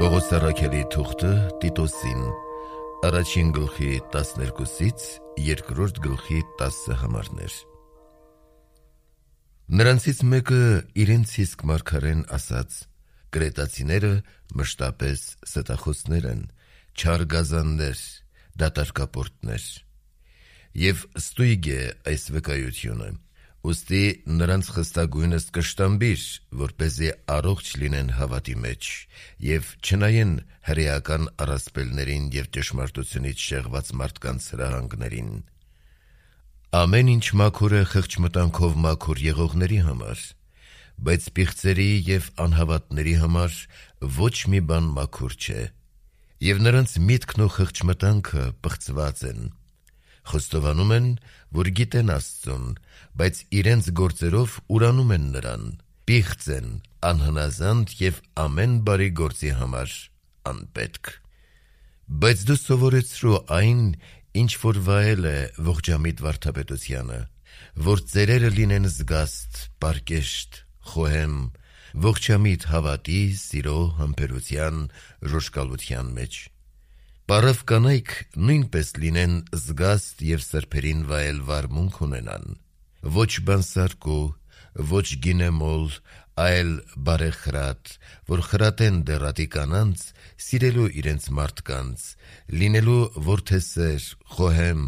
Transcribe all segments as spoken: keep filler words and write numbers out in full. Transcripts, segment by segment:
Պողոս առաքելի թուղթը Տիտոսին, առաջին գլխի տասներկուսից երկրորդ գլխի տասը համարներ։ Նրանցից մեկը իրենց իսկ մարգարեն ասաց. «Կրետացիները մշտապես ստախոսներ են, չար գազաններ, դատարկապորտներ»։ Եվ ստույգ է այս վկայությունը, ուստի նրանց խստագույնս կշտամբիր, որպեսզի առողջ լինեն հավատի մեջ և չնայեն հրեական առասպելներին և ճշմարտությունից շեղված մարդկանց հրահանգներին։ Ամեն ինչ մաքուր է խղճմտանքով մաքուր եղողների համար, բայց պիղծերի և անհավատների համար ոչ մի բան մաքուր չէ, և նրանց միտքն ու խղճմտանքը պղծված են։ Խոստովանում են, որ գիտեն Աստծուն, բայց իրենց գործերով ուրանում են նրան, պիղծ են, անհնազանդ և ամեն բարի գործի համար անպետք։ Բայց դու սովորեցրու այն, ինչ որ վայել է ողջամիտ վարդապետությանը, որ ծերերը լինեն զգաստ, պարկեշտ, խոհեմ, ողջամիտ հավատի, սիրո, համբերության, ժոժկալության մեջ։ Պարավ կանայք նույնպես լինեն զգաստ և սրբերին վայել վարմունք ունենան, ոչ բանսարկու, ոչ գինեմոլ, այլ բարեխրատ, որ խրատեն դեռատի կանանց, սիրելու իրենց մարդկանց, լինելու որդեսեր, խոհեմ,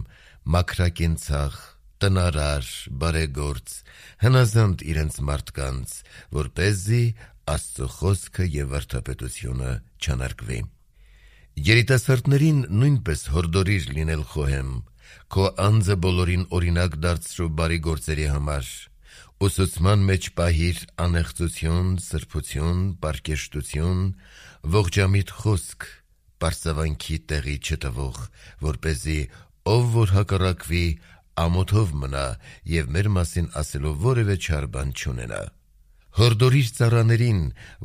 մաքրակենցաղ, տնարար, բարեգործ, հնազանդ իրենց մարդկանց, որպեսզի Աստծո խոսքը և վարդապետությունը չանարգվի։ Երիտասարդներին նույնպես հորդորիր լինել խոհեմ, քո անձը բոլորին օրինակ դարձրու բարի գործերի համար, ուսուցման մեջ պահիր անեղծություն, սրբություն, պարկեշտություն, ողջամիտ խոսք, պարծավանքի տեղի չտվող, որպեսզի ով որ հակառակվի, ամոթով մնա և մեր մասին ասելով որևէ չար բան չունենա։ Հորդորիր ծառաներին,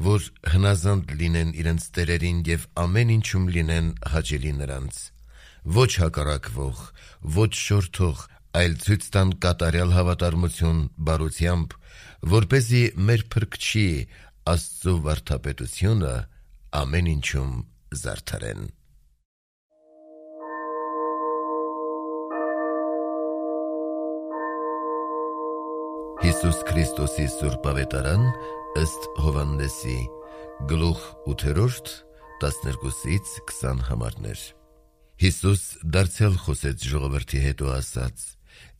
որ հնազանդ լինեն իրենց տերերին և ամեն ինչում լինեն հաճելի նրանց, ոչ հակառակվող, ոչ շորդող, այլ ցույց տան կատարյալ հավատարմություն բարությամբ, որպեսզի մեր Փրկչի Աստծո վարդապետությունը ամեն ինչում զարդարեն։ Հիսուս Քրիստոսի Սուրբ Ավետարան ըստ Հովհաննեսի, գլուխ ութերորդ, տասներկուսից քսան համարներ։ Հիսուս դարձյալ խոսեց ժողովրդի հետ ու ասաց.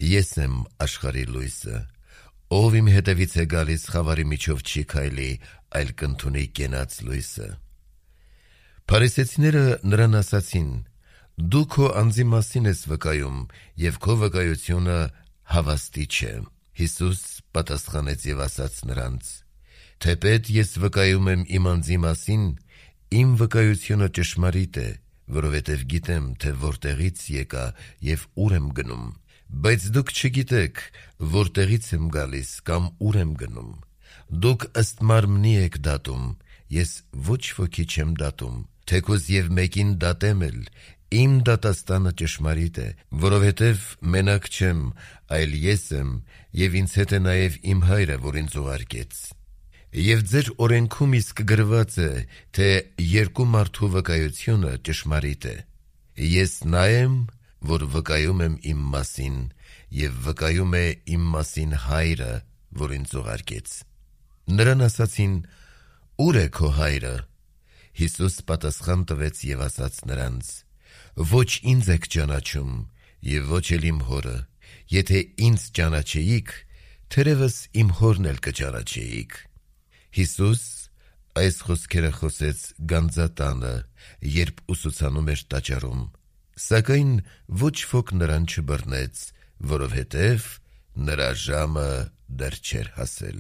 «Ես եմ աշխարհի լույսը, ով իմ հետևից է գալիս, խավարի միջով չի քայլի, այլ կընդունի կենաց լույսը»։ Փարիսեցիները նրան ասացին. «Դու քո անձի մասին ես վկայում, և քո վկայությունը հավաստի չէ»։ Հիսուս պատասխանեց և ասաց նրանց. «Թեպետ ես վկայում եմ իմ անձի մասին, իմ վկայությունը ճշմարիտ է, որովհետև գիտեմ, թե որտեղից եկա և ուր եմ գնում, բայց դուք չգիտեք, որտեղից եմ գալիս կամ ուր եմ գնում։ Դուք ըստ մարմնի եք դատում, ես ոչ ոքի չեմ դատում, թեկուզ և մեկին դատեմ էլ, իմ դատաստանը ճշմարիտ է, որովհետև մենակ չեմ, այլ ես եմ, և ինձ հետ է նաև իմ Հայրը, որ ինձ ուղարկեց։ Եվ ձեր օրենքում իսկ գրված է, թե երկու մարդու վկայությունը ճշմարիտ է։ Ես նա եմ, որ վկայում եմ իմ մասին, և վկայում է իմ մասին Հայրը, որ ինձ ուղարկեց»։ Նրան ասացին. «Ո՞ւր է քո Հայրը»։ Հիսուս պատասխան տվեց և ասաց նրանց. «Ոչ ինձ եք ճանաչում, և ոչ էլ իմ Հորը։ Եթե ինձ ճանաչեիք, թերևս իմ Հորն էլ կճանաչեիք»։ Հիսուս այս խոսքերը խոսեց գանձատանը, երբ ուսուցանում էր տաճարում, սակայն ոչ ոք նրան չբռնեց, որովհետև նրա ժամը դեռ չէր հասել։